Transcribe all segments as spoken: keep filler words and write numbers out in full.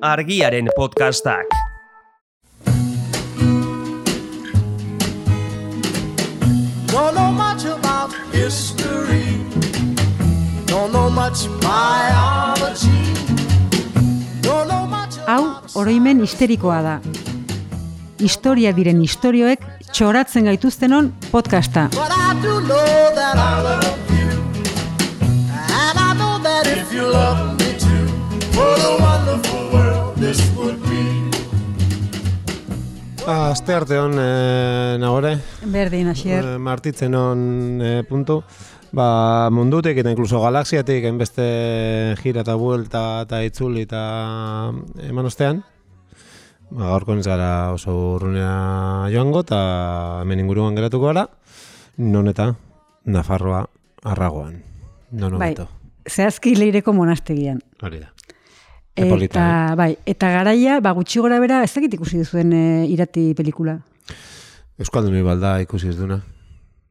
Argiaren podcastak. Don't know much about history. Don't know much biology. Don't know much. Hau oroimen histerikoa da. Historia diren istorioek txoratzen gaituztenon podcasta. But I do know that I love you. And I know that if you love me too, what a wonderful world this would be. Aste arte hon, e, nagore? Berdin, asier. E, martitzen hon e, puntu. Ba, mundutik eta inkluso galaxiatik enbeste gira eta buelta eta itzuli eta eman ostean. Ba, gaurko ez gara oso urrunea joango eta hemen inguruan geratuko gara. Non eta Nafarroa Arragoan. Non Bai, hobeto. zehazki Leireko monastegian. Hori da. Eta, Epolita, eh? bai, eta garaia, ba, gutxi gora bera, ez dakit ikusi duzuen e, irati pelikula. Euskaldun balda ikusi ez duna.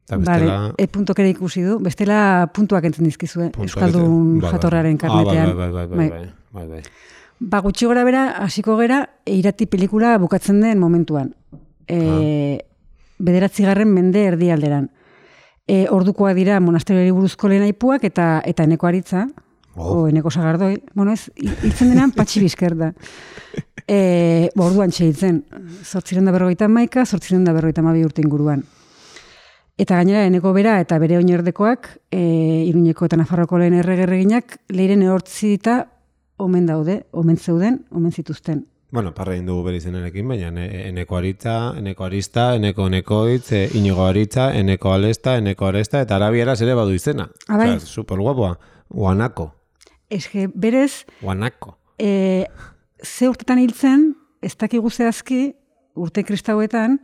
Eta Bale, bestela... e puntok ere ikusi du, bestela puntuak entzen dizkizue, Puntuak Euskaldun entzen- bai, bai. jatorraren Ah, karnetean. bai, bai, bai, bai, bai, bai, bai. Ba, gutxi gora bera, hasiko gera, e, irati pelikula bukatzen den momentuan. E, Bederatzigarren mende erdialderan. E, ordukoa dira monasterioari buruzko lehen aipuak eta eta eneko aritza, Oh. o eneko sagardoi, bueno ez, hiltzen denan patxi bizker da. E, ba, orduan txeitzen, zortzireun da berrogeita hamaika, zortzireun da berrogeita hamabi urte inguruan. Eta gainera, eneko bera eta bere oinordekoak, e, Iruñeko eta Nafarroko lehen erregerreginak, leiren ehortzi eta omen daude, omen zeuden, omen zituzten. Bueno, parra egin dugu bere izenarekin, baina ne- eneko aritza, eneko arista, eneko nekoitz, e, inigo aritza, eneko alesta, eneko aresta, eta arabieraz ere badu izena. Ah, bai. Osea, super guapoa. Guanako. Eske, berez, Guanako. e, ze urtetan hiltzen, ez dakigu zehazki, urte kristauetan,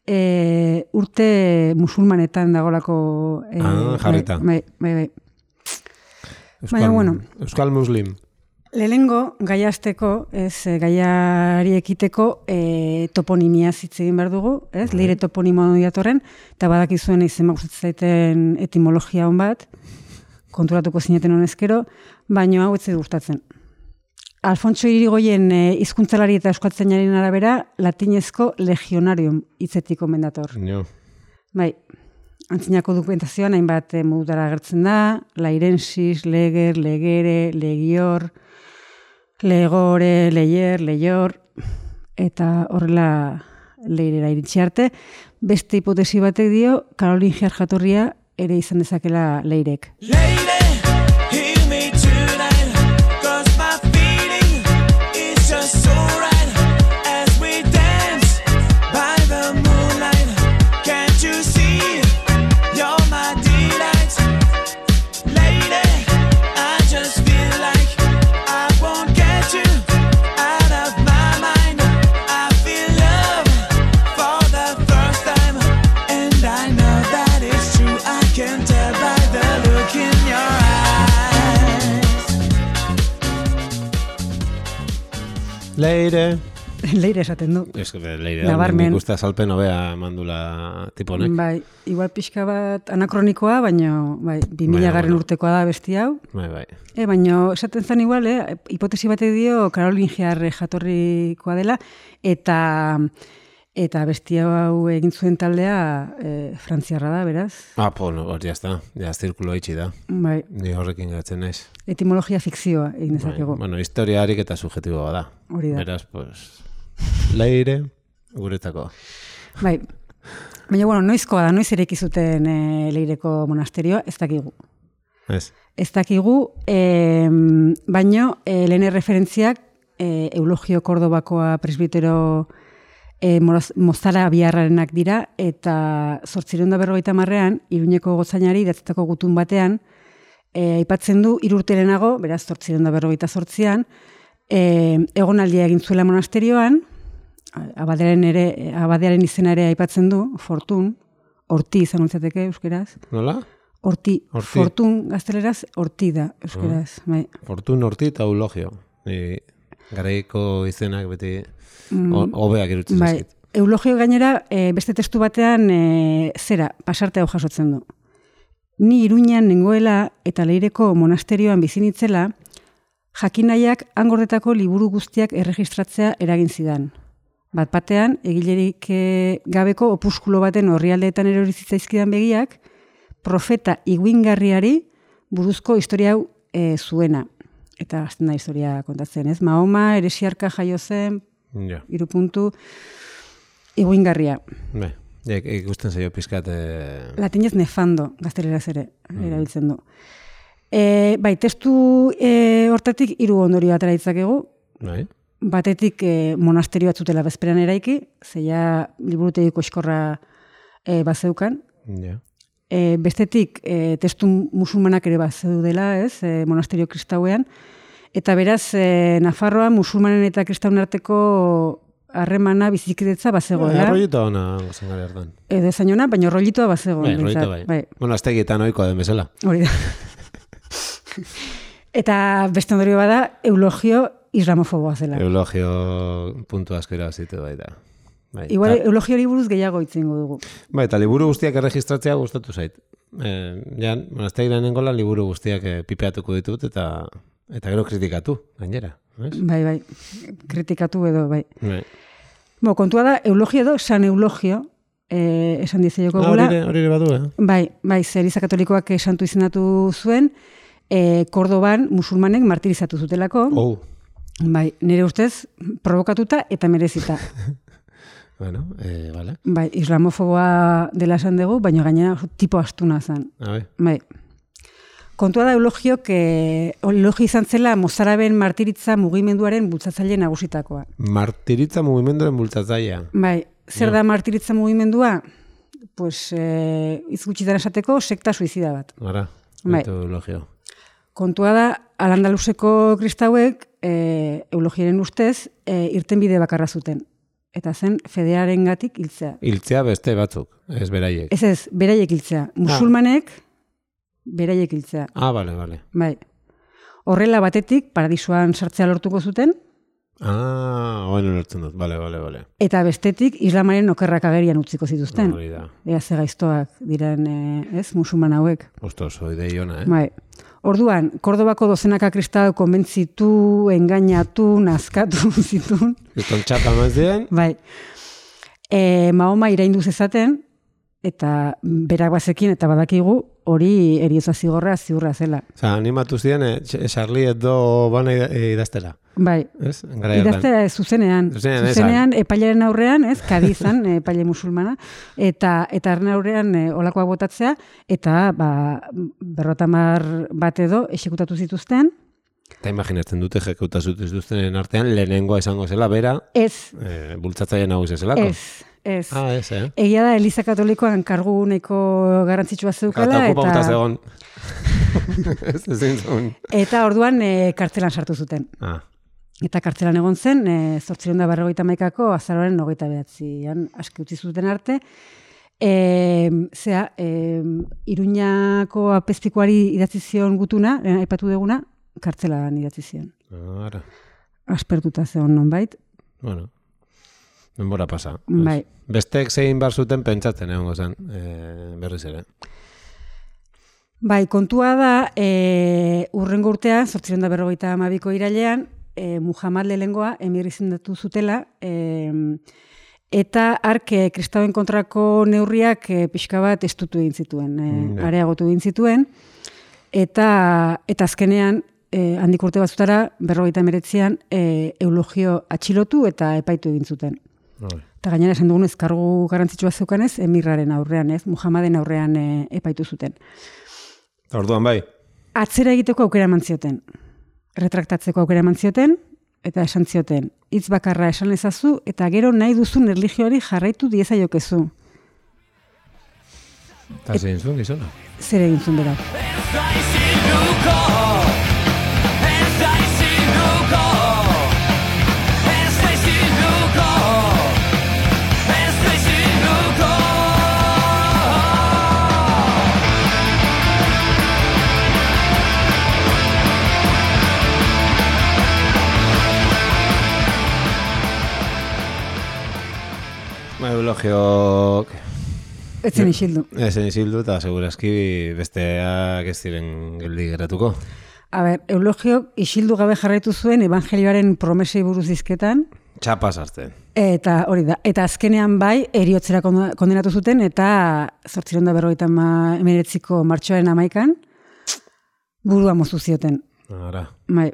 e, urte musulmanetan dagolako... E, Ah, jarrita. Bai, bai, bai. Euskal, Baina, bueno. Euskal Muslim. Lehenengo, gaia azteko, ez, e, gaiari ekiteko e, toponimia hitz egin behar dugu, ez, leire toponimo datorren, eta badakizuen izen gustatzen zaiten etimologia hon bat, konturatuko zineten honezkero, baina hau ez zait gustatzen. Alfonso Irigoyen e, hizkuntzalari eta euskaltzainaren arabera, latinezko legionarium hitzetik omen dator. Jo. Bai, antzinako dokumentazioan hainbat e, modutara agertzen da, lairensis, leger, legere, legior, legore, leier, leior, eta horrela leirera iritsi arte. Beste hipotesi batek dio, Karolingiar jatorria ere izan dezakela leirek. Lady, hear me tonight, 'cause my feeling is just so right as we dance by the moonlight. Can't you see you're my delight? Lady, I just feel like I won't get you out of my mind. I feel love for the first time, and I know that it's true. I can tell by the look in your eyes. Leire. Leire esaten du. Ez que leire. Nabarmen. Nik uste azalpen hobea mandula tiponek. Bai, igual pixka bat anakronikoa, baina bai, bi mila Baina, garren bueno. urtekoa da besti hau. Bai, bai. E, baina esaten zen igual, eh, hipotesi batek dio Karolingiar jatorrikoa dela, eta eta besti hau egin zuen taldea e, frantziarra da, beraz. Ah, pues no, ya está. Ya zirkulo itxi da. Bai, Ni horrekin gatzen naiz. etimologia fikzioa egin Bai, dezakegu. bueno, historia harik eta subjetiboa da. Hori da. Beraz, pues, leire, guretako. Bai. Baina, bueno, noizkoa da, noiz eraiki zuten e, Leireko monasterioa, ez dakigu. Ez. Ez dakigu, e, baino, e, lehen referentziak e, Eulogio Kordobakoa presbitero e, Moraz- Mozara biharrarenak dira, eta zortzireun da berrogeita marrean, Iruñeko gotzainari idatzitako gutun batean, e, aipatzen du irurterenago, beraz zortzireun da berrogeita zortzian, e, egonaldia egin zuela monasterioan, abadearen ere, abadearen izena ere aipatzen du, Fortun, horti izan ontzateke euskeraz, Nola? horti, Horti. Fortun gazteleraz, horti da euskeraz, bai. Fortun horti eta eulogio. Ni garaiko izenak beti ho- hobeak irutzen Bai, zaizkit. Eulogio gainera, e, beste testu batean e, zera, pasarte hau jasotzen du. Ni Iruñan nengoela eta Leireko monasterioan bizi nitzela, Jakinaiak angordetako liburu guztiak erregistratzea eragin zidan. Bat batean, egilerik e, gabeko opuskulo baten orrialdeetan erori zitzaizkidan begiak, profeta iguingarriari buruzko historia hau e, zuena. Eta hasten da historia kontatzen, ez? Mahoma, eresiarka jaio zen, Ja. hiru puntu, iguingarria. Bai, ik- ikusten zaio pizkat... Eh... Latinez nefando, gazteleraz ere, erabiltzen du. E, bai, testu e, hortatik hiru ondorio atera ditzakegu. Bai, Batetik e, monasterio batzutela bezperan eraiki, zeia liburutegiko eskorra e, bazeukan. ja. E, bestetik e, testu musulmanak ere bazeudela, ez, e, monasterio kristauean. Eta beraz, e, Nafarroa musulmanen eta kristauen arteko harremana bizikidetza bazegoela. Arrollito ona zen gara hartan. Edo zainona, baina rollitoa bazegoen. Bai, rollito behintzat. bai. Bueno, aztegietan oikoa den bezala. Hori da. Eta beste ondorio bada, eulogio islamofoboa zela. Eulogio puntu asko irabazitu bai da. Bai, Igual, ta- eulogiori buruz gehiago itzingo dugu. bai, eta liburu guztiak erregistratzea gustatu zait. Eh, jan, monastegiren nengola liburu guztiak eh, pipeatuko ditut eta eta gero kritikatu, gainera. Ez? Bai, bai, kritikatu edo, bai. Bai. Bo, kontua da, eulogio edo, san eulogio, eh, esan dizaioko Ah, gula. hori ere- hori ere badu, eh? Bai, bai, zer Eliza Katolikoak santu izendatu zuen, eh, Kordoban musulmanek martirizatu zutelako. Oh, Bai, nire ustez, provokatuta eta merezita. bueno, eh, vale. Bai, islamofoboa dela esan dugu, baina gainera oso tipo astuna zen. A bai. Bai. Kontua da eulogiok, eh, eulogio izan zela mozaraben martiritza mugimenduaren bultzatzaile nagusitakoa. Martiritza mugimenduaren bultzatzailea. Bai, zer Ja. da martiritza mugimendua? Pues, eh, hitz gutxitan esateko, sekta suizida bat. Gara, Bai. metodologio. Kontua da, Al-Andaluseko kristauek e, eulogiaren ustez e, irtenbide bakarra zuten. Eta zen fedearen gatik hiltzea. Hiltzea beste batzuk, ez beraiek. Ez ez, beraiek hiltzea. Musulmanek beraiek hiltzea. Ah, bale, bale. Bai. Horrela batetik paradisuan sartzea lortuko zuten, Ah, oen ulertzen dut, bale, bale, bale. eta bestetik islamaren okerrak agerian utziko zituzten. Hori da. Ea ze gaiztoak diren, e, ez, musulman hauek. Ostos, idei ona, eh? Bai. Orduan, Kordobako dozenaka kristau konbentzitu, engainatu, nazkatu zituen. Kriston txapa mazien, Bai. E, Mahoma iraindu zezaten, eta berak bazekin eta badakigu hori heriotza zigorra ziurra zela. oza, animatu ziren, eh, Charlie Hebdo bana ida- eh, idaztera. Bai. Ez? Gara hartan. Idaztera ez, zuzenean. Zuzenean, esan. Zuzenean epailaren aurrean, ez, Kadizan, epaile musulmana, eta eta harren aurrean e, olakoak botatzea, eta ba, berrotamar bat edo esekutatu zituzten. Eta imaginatzen dute jekuta zutuzten artean lehenengoa izango zela, bera, Ez, eh, bultzatzaile nagusia zelako. ez, ez. Ah, ez, eh? Egia da, Eliza Katolikoan kargu nahiko garrantzitsua zeukala, Eta okupa botaz eta, egon. Ez ezin zuen. eta orduan e, kartzelan sartu zuten. Ah, Eta kartzelan egon zen, e, zortziehun eta berrogeita hamaikako azaroaren hogeita behatzian aski utzi zuten arte. E, zea, e, Iruñako apezpikuari idatzi zion gutuna, lehen aipatu duguna, kartzelan idatzi zion. ara. Aspertuta zeon nonbait. Bueno, denbora pasa. Bai. Bestek zein bar zuten pentsatzen egongo zen, eh, berriz ere. Bai, kontua da, e, urrengo urtean, zortziehun eta berrogeita hamabiko irailean, e, Muhammad lehengoa emir izendatu zutela, e, eta ark e, kristauen kontrako neurriak e, pixka bat estutu egin zituen, e, Ja. areagotu egin zituen, eta, eta azkenean, e, handik urte batzutara, berrogeita emeretzian, e, eulogio atxilotu eta epaitu egin zuten. Bai. Eta gainera esan dugun kargu garrantzitsua zeukanez, emirraren aurrean, ez, Muhammaden aurrean e, epaitu zuten. Eta orduan bai, Atzera egiteko aukera eman zioten. Retraktatzeko aukera eman zioten, eta esan zioten. Hitz bakarra esan ezazu, eta gero nahi duzun erlijioari jarraitu diezaiokezu. eta zein zuen gizona. Zer egin zuen berak. Ba, eulogiok... Ez zen isildu. Ezen izildu eta segurazki besteak ez ziren geldi geratuko. A ber, Eulogiok isildu gabe jarraitu zuen evangelioaren promesei buruz dizketan, Txapa sartzen. eta hori da, eta azkenean bai, eriotzera kondo- kondenatu zuten, eta zortziehun eta berrogeita hemeretziko martxoaren hamaikan, burua moztu zioten. Ara. Bai.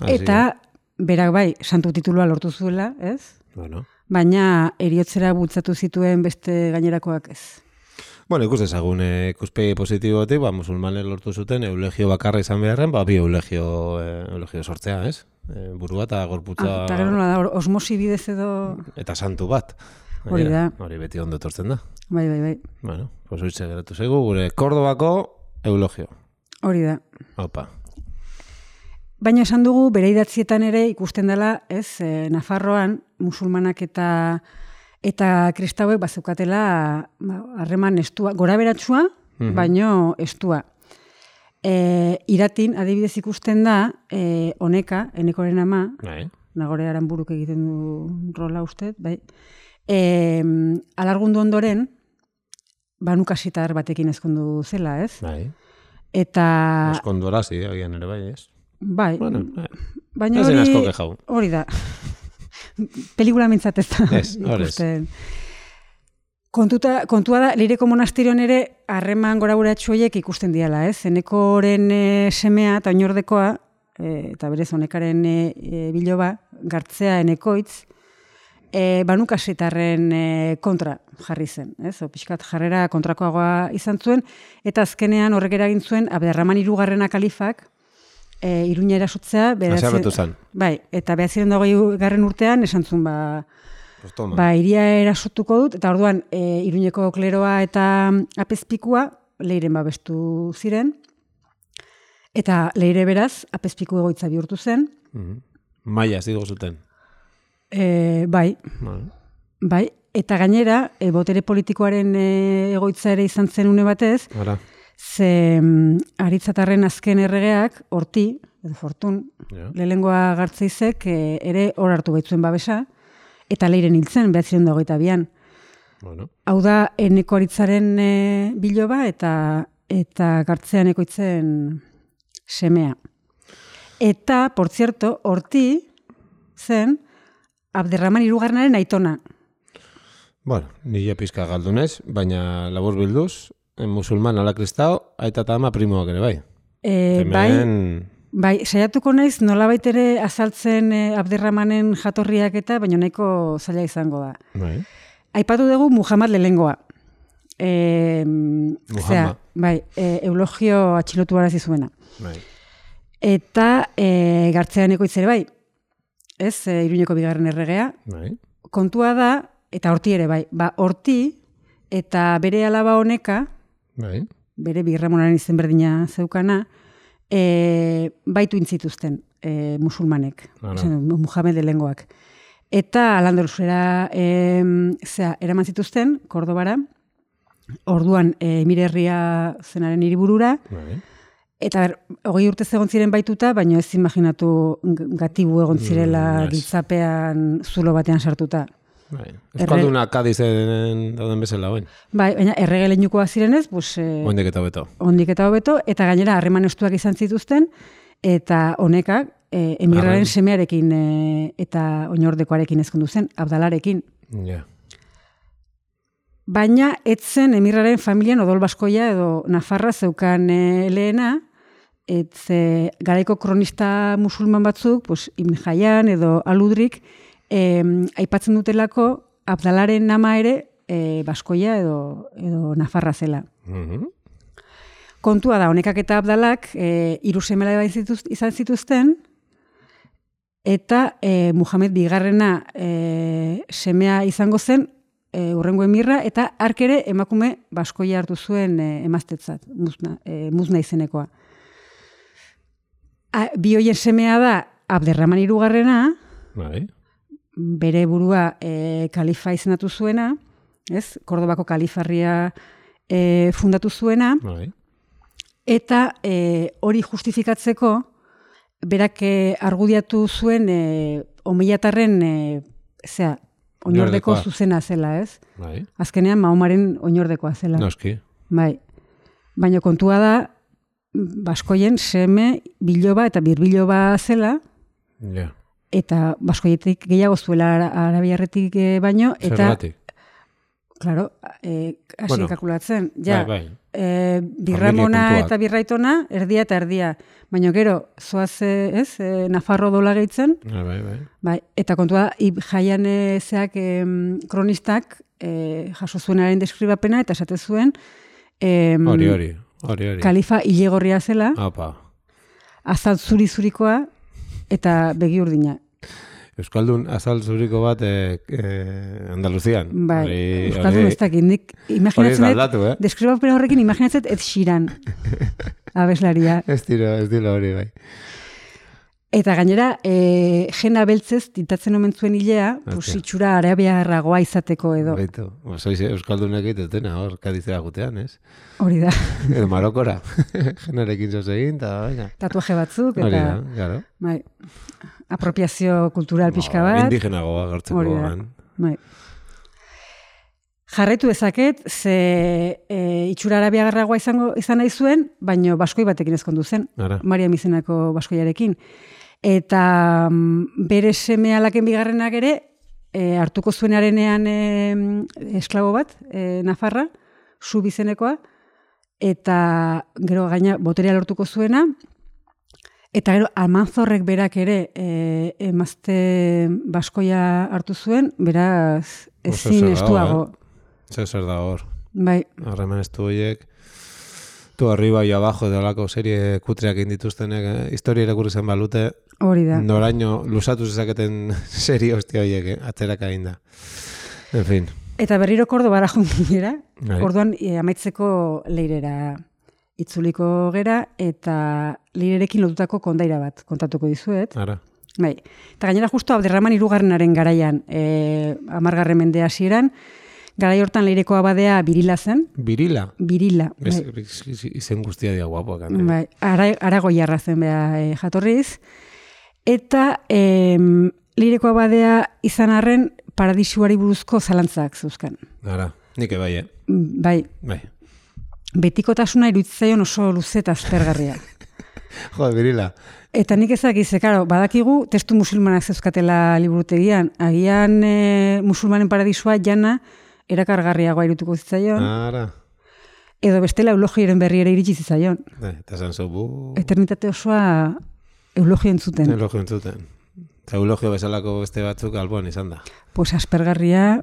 Así Eta berak bai, santu titulua lortu zuela, ez? Bueno. Baina eriotzera bultzatu zituen beste gainerakoak ez. Bueno, ikus dezagun eh, ikuspegi positibotik, ba, musulmanek lortu zuten eulegio bakarra izan beharren, ba, bi eulegio, eh, eulegio sortzea, ez? Eh, burua eta gorputza Ah, eta gero nola da, osmosi bidez edo... eta santu bat. Hori da. Hori beti ondo etortzen da. Bai, bai, bai. Bueno, pues hoitze geratu zaigu, gure Kordobako eulogio. Hori da. Opa. Baina esan dugu, bere idatzietan ere ikusten dela, ez, e, Nafarroan, musulmanak eta eta kristauek bazeukatela ba, harreman estua, gora beratsua, baino estua. E, iratin, adibidez ikusten da, e, Oneka, Enekoren ama, Bai. Nagore Aranburuk egiten du rola uste, bai. E, alargundu ondoren, banukasitar batekin ezkondu zela, ez? Bai. Eta, Eskondora, zi, agian ere bai, ez? bai, Bueno, bai. baina Ez den hori, asko kexau. hori da. Pelikula mintzat ez da. Ez, hori ez. ikusten. Kontuta, kontua da, Leireko monastirioan ere harreman gora horiek ikusten diala, ez? Enekoren e, semea eta oinordekoa, e, eta berez honekaren e, e, biloba, gartzea enekoitz, e, banukasitarren e, kontra jarri zen, ez? O, pixkat jarrera kontrakoagoa izan zuen, eta azkenean horrek eragin zuen Abderraman hirugarrena kalifak, e, Iruña erasotzea, Haserretu zen. bai, eta behatziren dago garren urtean esan zuen, ba, Pues toma. ba, iria erasotuko dut, eta orduan e, Iruñeko kleroa eta apezpikua Leiren babestu ziren, eta Leire beraz apezpiku egoitza bihurtu zen, Mhm. Maia, zigo zuten. e, bai, Bueno. bai, eta gainera, e, botere politikoaren e, egoitza ere izan zen une batez, Ara. ze mm, aritzatarren azken erregeak, Horti, edo Fortun, Ja. lehengoa Gartzeizek e, ere hor hartu baitzuen babesa, eta Leiren hiltzen, behatziren dagoita bian. Bueno. Hau da, eneko aritzaren e, biloba eta eta Gartzean ekoitzen semea. Eta, por cierto, Horti zen Abderraman hirugarrenaren aitona. Bueno, nire pizka galdunez, baina labur bilduz, en musulman ala kristao, aita eta ama primoak ere bai. E, bai, Hemen, bai, saiatuko naiz nolabait ere azaltzen e, Abderramanen jatorriak eta, baina nahiko zaila izango da. bai. Aipatu dugu Muhammad lehengoa. E, Muhammad. bai, e, eulogio atxilotu arazi zuena. Bai. Eta e, Gartzean ekoitz ere bai, ez, e, Iruñeko bigarren erregea. Bai. Kontua da, eta Horti ere bai, ba, Horti eta bere alaba Honeka, Bai. bere birramonaren izen berdina zeukana, e, baitu intzituzten e, musulmanek, Ara. esan dut, Muhammad lehengoak. Eta Al-Andaluzera e, zera, eraman zituzten, Kordobara, orduan e, Emirerria zenaren hiriburura, Bai. eta ber, hogei urte egon ziren baituta, baina ez imaginatu g- gatibu egon zirela Mm, ez. giltzapean zulo batean sartuta. Bai. Euskalduna Kadizen dauden bezala, oin. Bai, baina errege leinukoak zirenez, pues, e, Oindik eta beto. ondik eta hobeto, eta gainera harreman estuak izan zituzten, eta honekak e, emirraren Harren. semearekin e, eta oinordekoarekin ezkondu zen, Abdalarekin. Ja. Baina etzen emirraren familian odol baskoia edo Nafarra zeukan e, lehena, etze garaiko kronista musulman batzuk, pues, Ibn Hayyan edo Aludrik, e, aipatzen dutelako Abdalaren nama ere e, baskoia edo, edo Nafarra zela. Mhm. Kontua da, honekak eta Abdalak e, hiru seme alaba zituz- izan zituzten, eta e, Muhammad bigarrena e, semea izango zen, e, urrengo emirra, eta hark ere emakume baskoia hartu zuen e, emaztetzat, muzna, e, muzna izenekoa. A, bi hoien semea da Abderraman hirugarrena, Bai. bere burua e, kalifa izendatu zuena, ez? Kordobako kalifarria e, fundatu zuena, Bai. eta e, hori justifikatzeko, berak e, argudiatu zuen e, omilatarren e, zera, oinordeko Oinordekoa. zuzena zela, ez? Bai. Azkenean Mahomaren oinordekoa zela. Noski. Bai. Baina kontua da, baskoien seme biloba eta birbiloba zela, Ja. eta baskoietik gehiago zuela ara- arabiarretik eh, baino, eta, Zergatik? claro, eh, hasi Bueno, kalkulatzen, ja, Bai, bai. eh, birramona kontuak. eta birraitona, erdia eta erdia, baino gero, zoaz, eh, ez, eh, Nafarro dola gehitzen, Bai, bai, bai. bai, eta kontua, ib jaian eh, zeak em, kronistak eh, jaso zuenaren deskribapena, eta esate zuen, em, Hori, hori, hori, hori. kalifa ilegorria zela, Apa. azal zuri-zurikoa, eta begi urdina. Euskaldun azal zuriko bat eh, eh, Andaluzian. Bai, Hori- Euskaldun hori- ez dakit, nik Hori ez imaginatzen da dut, aldatu, eh? deskribapena horrekin imaginatzen dut Ed Sheeran, abeslaria. Ez dilo, ez dilo hori, bai. Eta gainera, e, jena beltzez tintatzen omen zuen hilea, pues, Hostia. itxura arabiarragoa izateko edo. Baitu. Ba, sois Euskaldunek egitutena, hor, kadizera gutean, ez? Hori da, Edo Marokora. Jenarekin zoz egin, eta baina. tatuaje batzuk, Hori eta da, claro. bai, apropiazio kultural pixka Ba, bat. Indigenagoa gartzeko Hori da. gan. Bai. Jarraitu dezaket, ze e, itxura arabiagarragoa izango izan nahi zuen, baino baskoi batekin ezkondu zen, Ara. Maria izenako baskoiarekin. Eta mm, bere seme alaken bigarrenak ere, e, hartuko zuenarenean e, esklabo bat, e, Nafarra, su bizenekoa, eta gero gaina boterea lortuko zuena, eta gero Almanzorrek berak ere e, emazte baskoia hartu zuen, beraz Oso ezin zer dago, estuago. Zer zer da hor. Bai, Harreman estu horiek. Tu arriba y abajo de olako serie kutreak indituztenek, eh? Historia irakurri zen balute, hori da. noraino lusatu zezaketen serie hostia horiek, eh? Atzeraka egin da. En fin. Eta berriro Kordobara joan ginera, Bai. orduan e, amaitzeko leirera itzuliko gera, eta leirerekin lotutako kondaira bat kontatuko dizuet. Ara. Bai. Eta gainera justo Abderraman hirugarrenaren garaian, e, amargarren mende hasieran, garai hortan leireko abadea Birila zen, Birila. Birila. Ez, Bai. izen guztia dia guapoak. eh? Bai, ara, aragoiarra zen beha e, jatorriz. Eta e, leireko abadea izan arren paradisuari buruzko zalantzak zeuzkan. Ara. Nik ebai, eh? Bai, Bai. betikotasuna iruditzaion oso luze eta aspergarria. Jo, Birila. Eta nik ezakiz, karo, badakigu testu musulmanak zeuzkatela liburutegian. Agian e, musulmanen paradisua jana erakargarriagoa irutuko zitzaion, Ara. edo bestela eulogiaren berri ere iritsi zitzaion. Da, eta zan zu, bu... Eternitate osoa eulogio entzuten. Elogio entzuten. Eta eulogio bezalako beste batzuk alboan izan da. Pues aspergarria,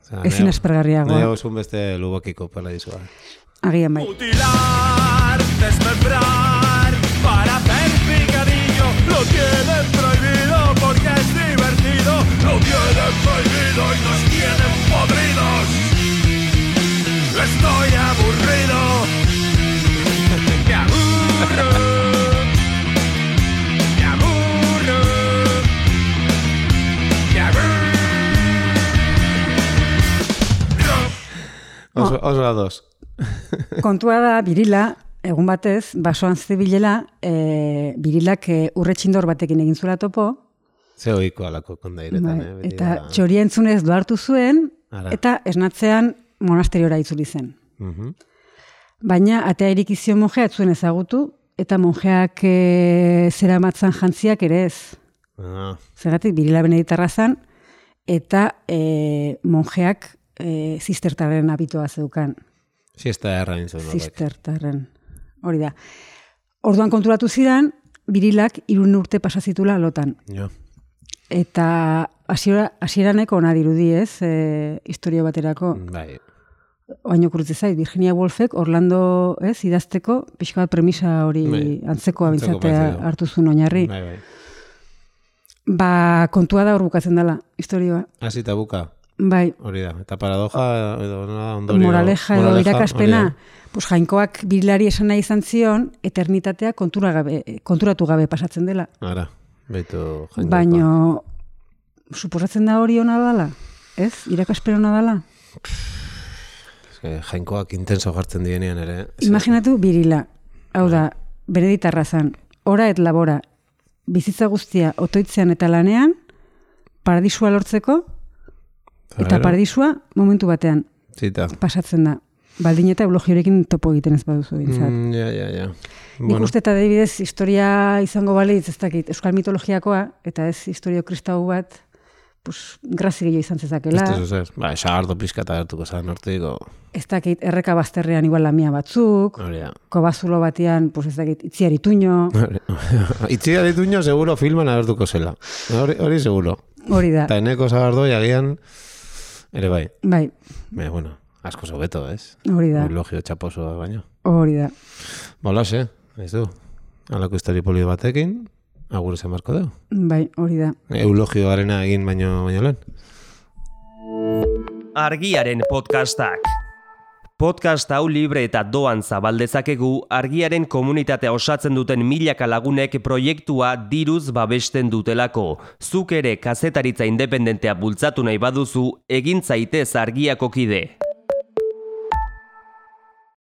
Osea, ezin nahiago- aspergarriagoa. Nahiago zuen beste lubokiko paradisua. Agian bai. Mutilar, desmembrar, para hacer picadillo, lo tienen prohibido porque es divertido, lo tienen prohibido y nos tienen podridos. Estoy aburrido, me aburro, me aburro, me aburro. Oso, oso ados. Kontua da, Birila, egun batez, basoan zebilela, e, Birilak e, urretxindor batekin egin zuela topo, Ze oiko alako kondairetan, bai, eh? Beti eta da- txoria entzunez doartu zuen, Ara. eta esnatzean monasteriora itzuli zen. Mhm. Baina atea irikizio monjea zuen ezagutu, eta monjeak e, zera matzan jantziak ere ez. Ah, Zergatik, Birila beneditarra zan, eta e, monjeak e, zistertarren abitoa zeukan. siesta erra nintzen. horrek. Zistertarren. Hori da. Orduan konturatu zidan, Birilak hirun urte pasazitula lotan. Jo. Eta hasiera hasieraneko ona dirudi, ez, e, historia baterako. Bai. Oaino kurutze zait, Virginia Woolfek Orlando, ez, idazteko, pixka bat premisa hori Bai. antzeko Antzeko abintzatea parecido. hartu zuen oinarri. Bai, bai. Ba, kontua da hor bukatzen dela, historioa. Hasi eta buka, Bai, hori da. Eta paradoja, edo nola, ondorio. moraleja edo moraleja, irakaspena, hori pues jainkoak Birilari esan nahi izan zion, eternitatea kontura gabe, konturatu gabe pasatzen dela. da. Ara, beitu jainkoa. Baino, suposatzen da hori ona dala? Ez? Irakaspena ona dala? Eske, jainkoak intenso jartzen dienean ere. ze- Imaginatu Birila, hau da, beneditarra zan, ora et labora, bizitza guztia otoitzean eta lanean, paradisua lortzeko, eta Gero, paradisua momentu batean Zita. pasatzen da. baldin eta eulogiorekin topo egiten ez baduzu bintzat. Mm, ja, ja, ja. Nik Bueno, uste eta adibidez historia izango balitz, ez dakit, euskal mitologiakoa, eta ez historio kristau bat, pues, grazi gehiago izan zezakela. ez zer. Ba, esagardo pixka eta gertuko zan hortiko. Ez dakit, erreka bazterrean igual lamia batzuk, Hori da. kobazulo batean, pues ez dakit, itziari tuño, Itzia dituño seguro filman agertuko zela. Hori, hori seguro. hori da. Eta eneko sagardoi agian, ere bai. Bai, Baina, bueno, asko zobeto, ez? hori da, Eulogio txaposoa baino. hori da. Bolase, ez du. Halako histori polio batekin, agur esan marko deu. Bai, hori da. Eulogioarena egin baino, baino lehen. Argiaren podcastak. Podcast hau libre eta doan zabaldezakegu argiaren komunitatea osatzen duten milaka lagunek proiektua diruz babesten dutelako. Zuk ere kazetaritza independentea bultzatu nahi baduzu, egin zaitez argiako kide.